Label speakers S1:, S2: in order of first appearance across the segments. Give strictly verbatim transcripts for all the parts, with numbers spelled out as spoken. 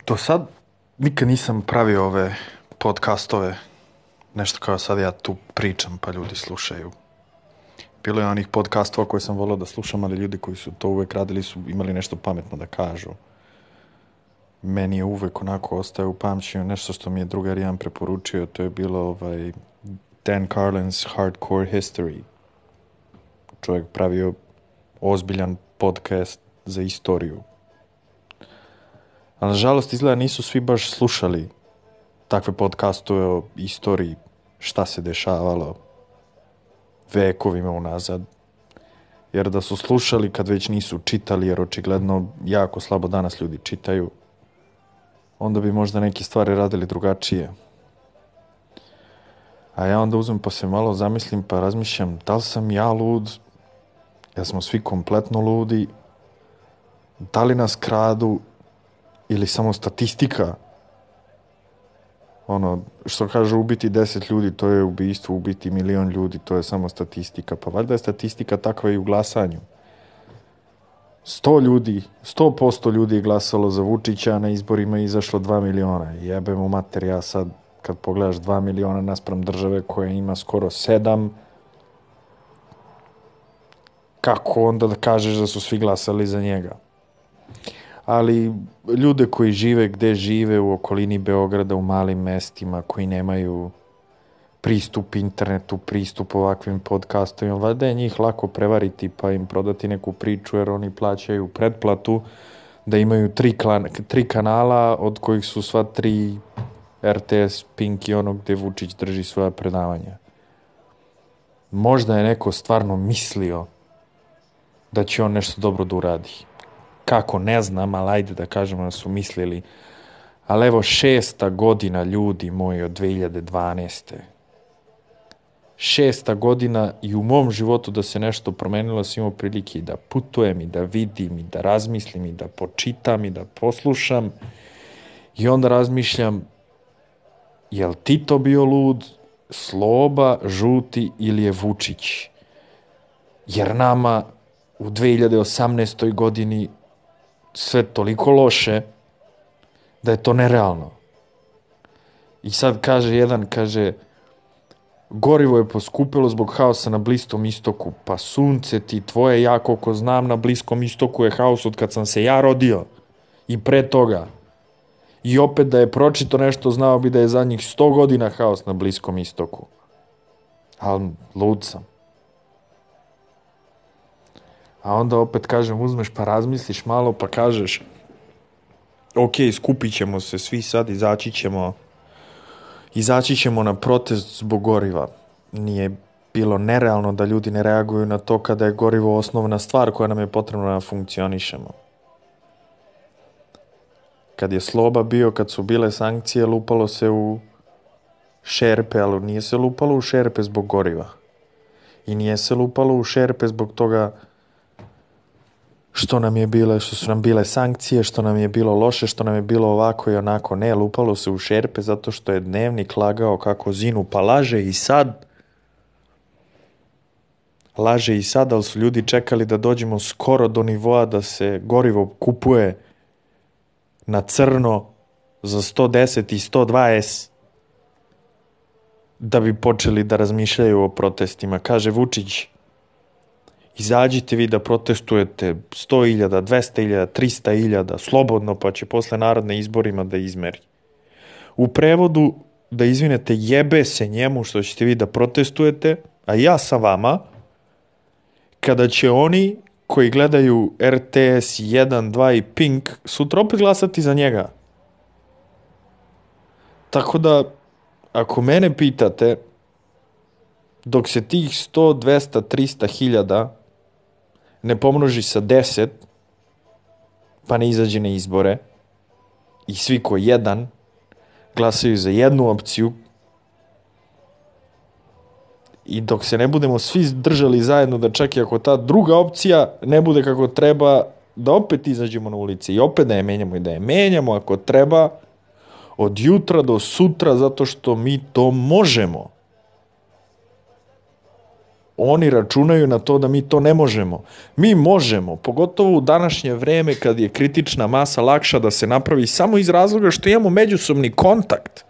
S1: Do sad nikad nisam pravio ove podcastove, nešto kao sad ja tu pričam pa ljudi slušaju. Bilo je onih podcastova koje sam volio da slušam, ali ljudi koji su to uvek radili su imali nešto pametno da kažu. Meni je uvek onako ostaje u pamćenju nešto što mi je drugar jedan preporučio, to je bilo ovaj Dan Carlin's Hardcore History. Čovjek pravio ozbiljan podcast za istoriju. Ali nažalost izgleda nisu svi baš slušali takve podcastove o istoriji, šta se dešavalo vekovima unazad. Jer da su slušali kad već nisu čitali, jer očigledno jako slabo danas ljudi čitaju, onda bi možda neke stvari radili drugačije. A ja onda uzmem pa se malo zamislim pa razmišljam da li sam ja lud, ja smo svi kompletno ludi, da li nas kradu ili samo statistika. Ono, što kaže ubiti deset ljudi, to je ubijstvo, ubiti milion ljudi, to je samo statistika. Pa valjda je statistika takva i u glasanju. Sto ljudi, sto posto ljudi je glasalo za Vučića, a na izborima je izašlo dva miliona. Jebe mu mater, ja sad, kad pogledaš dva miliona naspram države koja ima skoro sedam, kako onda da kažeš da su svi glasali za njega? Ali ljude koji žive gde žive u okolini Beograda, u malim mestima, koji nemaju pristup internetu, pristup ovakvim podcastovima, valjda je njih lako prevariti pa im prodati neku priču jer oni plaćaju pretplatu da imaju tri, klan, tri kanala od kojih su sva tri R T S, Pink i ono gde Vučić drži svoja predavanja. Možda je neko stvarno mislio da će on nešto dobro da uradi. Kako, ne znam, ali ajde da kažemo da su mislili. Ali evo šesta godina, ljudi moji, od dve hiljade dvanaeste. Šesta godina i u mom životu da se nešto promenilo, sam imao prilike i da putujem, i da vidim, i da razmislim, i da počitam, i da poslušam. I onda razmišljam, je li Tito bio lud, Sloba, Žuti ili je Vučić? Jer nama u dve hiljade osamnaestoj godini sve toliko loše da je to nerealno. I sad kaže jedan, kaže, gorivo je poskupilo zbog haosa na Bliskom istoku. Pa sunce ti tvoje, ja koliko znam, na Bliskom istoku je haos od kad sam se ja rodio. I pre toga. I opet da je pročito nešto, znao bi da je zadnjih sto godina haos na Bliskom istoku. Ali lud sam. A onda opet kažem, uzmeš pa razmisliš malo pa kažeš ok, skupit ćemo se svi sad, izaći ćemo izaći ćemo na protest zbog goriva. Nije bilo nerealno da ljudi ne reaguju na to kada je gorivo osnovna stvar koja nam je potrebna da funkcionišemo. Kad je Sloba bio, kad su bile sankcije, lupalo se u šerpe, ali nije se lupalo u šerpe zbog goriva. I nije se lupalo u šerpe zbog toga što nam je bile, što su nam bile sankcije, što nam je bilo loše, što nam je bilo ovako i onako. Ne, lupalo se u šerpe zato što je Dnevnik lagao kako zinu, pa laže i sad. Laže i sad, ali su ljudi čekali da dođemo skoro do nivoa da se gorivo kupuje na crno za sto deset i sto dvadeset da bi počeli da razmišljaju o protestima. Kaže Vučić, izađite vi da protestujete sto hiljada, dvesta hiljada, trista hiljada, slobodno, pa će posle narodne izborima da izmeri. U prevodu, da izvinete, jebe se njemu što ćete vi da protestujete, a ja sa vama, kada će oni koji gledaju R T S jedan, dva i Pink, sutra opet glasati za njega. Tako da, ako mene pitate, dok se tih sto, dvesta, trista hiljada ne pomnoži sa deset, pa ne izađe na izbore, i svi ko jedan glasaju za jednu opciju, i dok se ne budemo svi držali zajedno da čak i ako ta druga opcija ne bude kako treba, da opet izađemo na ulici i opet da je menjamo i da je menjamo ako treba, od jutra do sutra, zato što mi to možemo. Oni računaju na to da mi to ne možemo. Mi možemo, pogotovo u današnje vreme kad je kritična masa lakša da se napravi samo iz razloga što imamo međusobni kontakt.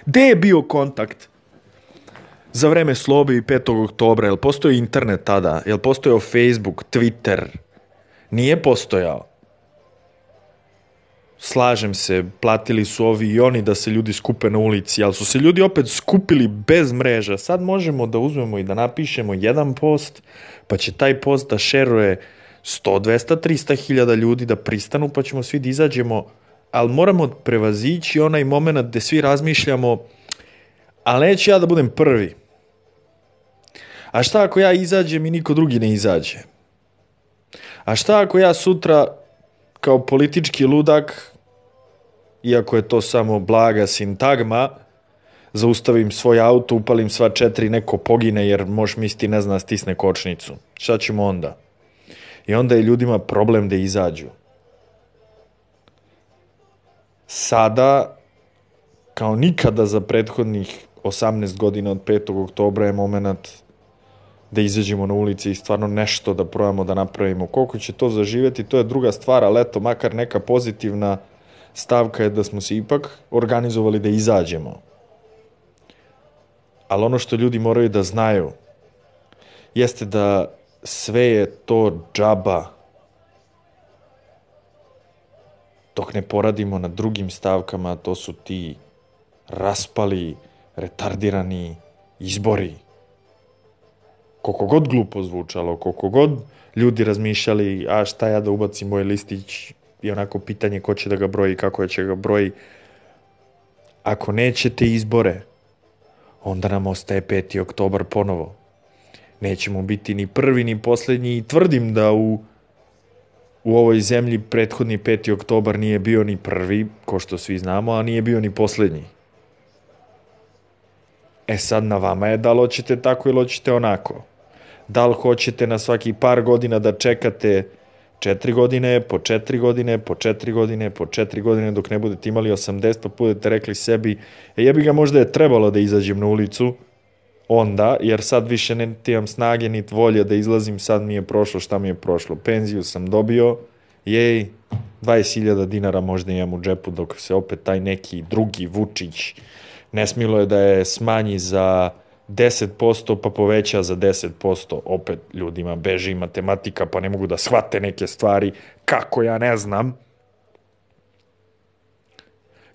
S1: Gde je bio kontakt za vreme Slobe i petog oktobra? Jel postojao internet tada? Jel postojao Facebook, Twitter? Nije postojao. Slažem se, platili su ovi i oni da se ljudi skupe na ulici, ali su se ljudi opet skupili bez mreža. Sad možemo da uzmemo i da napišemo jedan post, pa će taj post da šeruje sto, dvesta, trista hiljada ljudi da pristanu, pa ćemo svi da izađemo, ali moramo prevazići onaj moment gde svi razmišljamo, ali neću ja da budem prvi. A šta ako ja izađem i niko drugi ne izađe? A šta ako ja sutra kao politički ludak, iako je to samo blaga sintagma, zaustavim svoj auto, upalim sva četiri, neko pogine jer možeš misliti ne zna stisne kočnicu. Šta ćemo onda? I onda je ljudima problem da izađu. Sada, kao nikada za prethodnih osamnaest godina od petog oktobra je moment da izađemo na ulici i stvarno nešto da probamo da napravimo. Koliko će to zaživeti, to je druga stvar, ali eto, makar neka pozitivna stavka je da smo se ipak organizovali da izađemo. Ali ono što ljudi moraju da znaju jeste da sve je to džaba dok ne poradimo na drugim stavkama, to su ti raspali, retardirani izbori. Koliko god glupo zvučalo, koliko god ljudi razmišljali, a šta ja da ubacim moj listić, i onako pitanje ko će da ga broji, kako će ga broji. Ako nećete izbore, onda nam ostaje peti oktobar ponovo. Nećemo biti ni prvi, ni poslednji i tvrdim da u, u ovoj zemlji prethodni peti oktobar nije bio ni prvi, ko što svi znamo, a nije bio ni poslednji. E sad na vama je da li hoćete tako ili hoćete onako. Da li hoćete na svaki par godina da čekate četiri godine, po četiri godine, po četiri godine, po četiri godine, dok ne budete imali osamdeset, pa budete rekli sebi, e jebi ga, možda je trebalo da izađem na ulicu, onda, jer sad više ne imam snage ni volje da izlazim, sad mi je prošlo šta mi je prošlo. Penziju sam dobio, jej, dvadeset hiljada dinara možda imam u džepu, dok se opet taj neki drugi Vučić ne smilo je da je smanji za deset posto pa poveća za deset posto. Opet ljudima beži matematika pa ne mogu da shvate neke stvari. Kako, ja ne znam.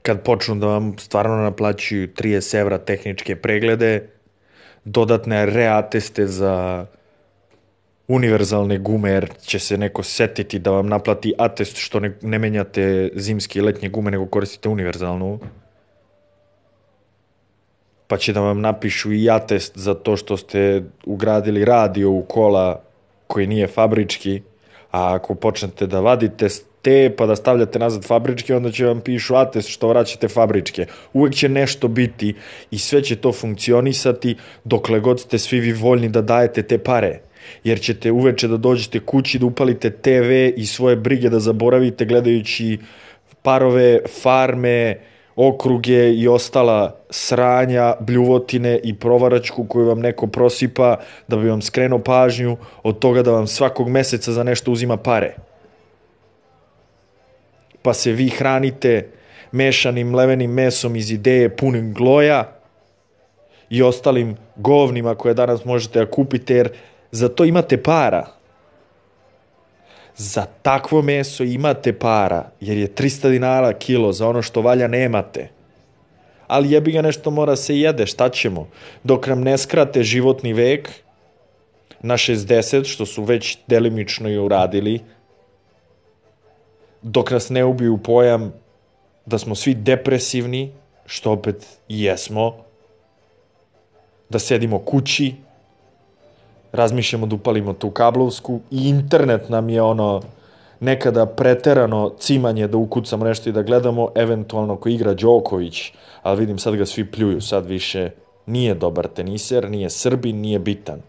S1: Kad počnu da vam stvarno naplaćuju trideset evra tehničke preglede, dodatne reateste za univerzalne gume, jer će se neko setiti da vam naplati atest što ne, ne menjate zimske i letnje gume, nego koristite univerzalnu. Pa će da vam napišu i atest za to što ste ugradili radio u kola koji nije fabrički, a ako počnete da vadite te pa da stavljate nazad fabričke, onda će vam pišu atest što vraćate fabričke. Uvek će nešto biti i sve će to funkcionisati dokle god ste svi vi voljni da dajete te pare. Jer ćete uveče da dođete kući, da upalite te ve i svoje brige da zaboravite gledajući parove, farme, okruge i ostala sranja, bljuvotine i provaračku koju vam neko prosipa da bi vam skrenuo pažnju od toga da vam svakog meseca za nešto uzima pare. Pa se vi hranite mešanim mlevenim mesom iz ideje punim gloja i ostalim govnima koje danas možete da kupite, jer za to imate para. Za takvo meso imate para, jer je trista dinara kilo, za ono što valja nemate. Ali jebi ga, nešto mora se jede, šta ćemo? Dok nam ne skrate životni vek na šezdeset, što su već delimično i uradili, dok nas ne ubiju pojam da smo svi depresivni, što opet i jesmo, da sedimo kući, razmišljamo da upalimo tu kablovsku i internet nam je ono nekada preterano cimanje da ukucamo nešto i da gledamo, eventualno ko igra Đoković, ali vidim sad ga svi pljuju, sad više nije dobar teniser, nije Srbin, nije bitan.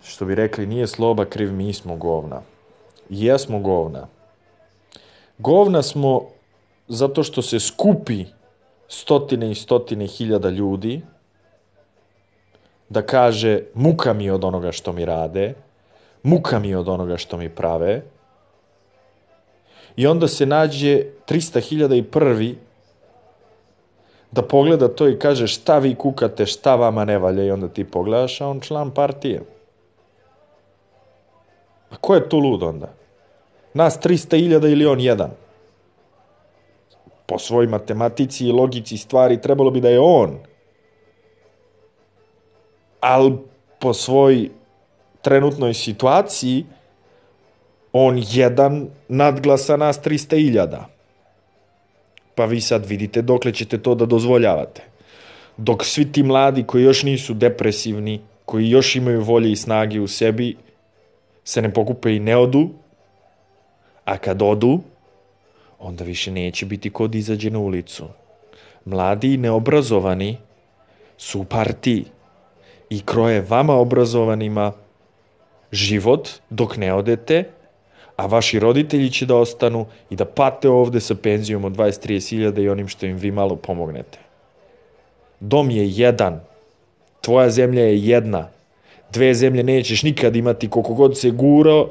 S1: Što bi rekli, nije Sloba kriv, mi smo govna. Jesmo govna. Govna smo zato što se skupi stotine i stotine hiljada ljudi da kaže muka mi od onoga što mi rade, muka mi od onoga što mi prave, i onda se nađe trista hiljada i prvi da pogleda to i kaže šta vi kukate, šta vama ne valja, i onda ti pogledaš, a on član partije. A ko je tu lud onda? Nas trista hiljada ili on jedan? Po svoj matematici i logici stvari trebalo bi da je on. Ali po svoj trenutnoj situaciji on jedan nadglasa nas trista hiljada. Pa vi sad vidite dokle ćete to da dozvoljavate. Dok svi ti mladi koji još nisu depresivni, koji još imaju volje i snage u sebi, se ne pokupe i ne odu, a kad odu, onda više neće biti ko da izađe na ulicu. Mladi i neobrazovani su u partiji i kroje vama obrazovanima život dok ne odete, a vaši roditelji će da ostanu i da pate ovde sa penzijom od dvadeset do trideset hiljada i onim što im vi malo pomognete. Dom je jedan, tvoja zemlja je jedna, dve zemlje nećeš nikad imati, koliko god se gurao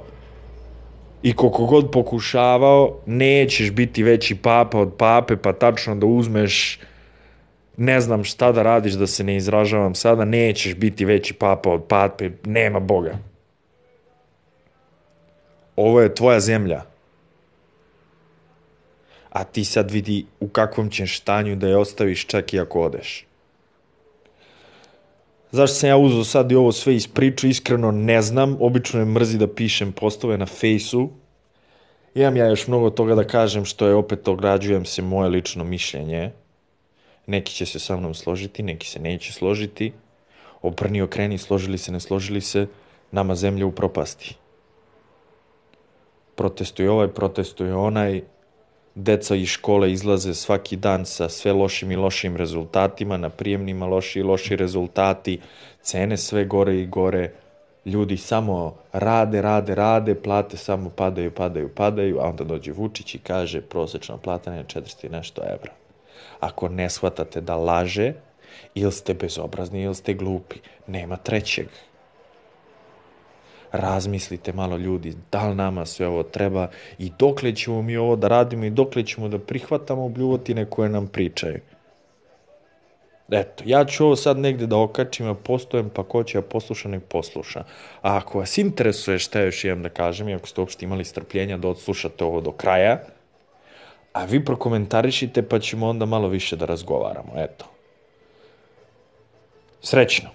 S1: i koliko god pokušavao, nećeš biti veći papa od pape, pa tačno da uzmeš, ne znam šta da radiš, da se ne izražavam sada, nećeš biti veći papa od pape, nema Boga. Ovo je tvoja zemlja. A ti sad vidi u kakvom ćeš stanju da je ostaviš čak i ako odeš. Zašto sam ja uzeo sad i ovo sve iz priču, iskreno ne znam, obično me mrzi da pišem postove na fejsu. Imam ja još mnogo toga da kažem što je, opet ograđujem se, moje lično mišljenje. Neki će se sa mnom složiti, neki se neće složiti. Obrni okreni, složili se, ne složili se, nama zemlja u propasti. Protestuje ovaj, protestuje onaj, deca iz škole izlaze svaki dan sa sve lošim i lošim rezultatima, na prijemnima loši i loši rezultati, cene sve gore i gore, ljudi samo rade, rade, rade, plate samo padaju, padaju, padaju, a onda dođe Vučić i kaže prosečna plata je četiristo i nešto evra. Ako ne shvatate da laže, ili ste bezobrazni, ili ste glupi, nema trećeg. Razmislite malo, ljudi, da li nama sve ovo treba i dokle ćemo mi ovo da radimo i dokle ćemo da prihvatamo bljuvotine koje nam pričaju. Eto, ja ću ovo sad negde da okačim, a postojem, pa ko će da posluša, nek posluša. A ako vas interesuje šta još imam da kažem, i ako ste uopšte imali strpljenja da odslušate ovo do kraja, a vi prokomentarišite, pa ćemo onda malo više da razgovaramo. Eto. Srećno!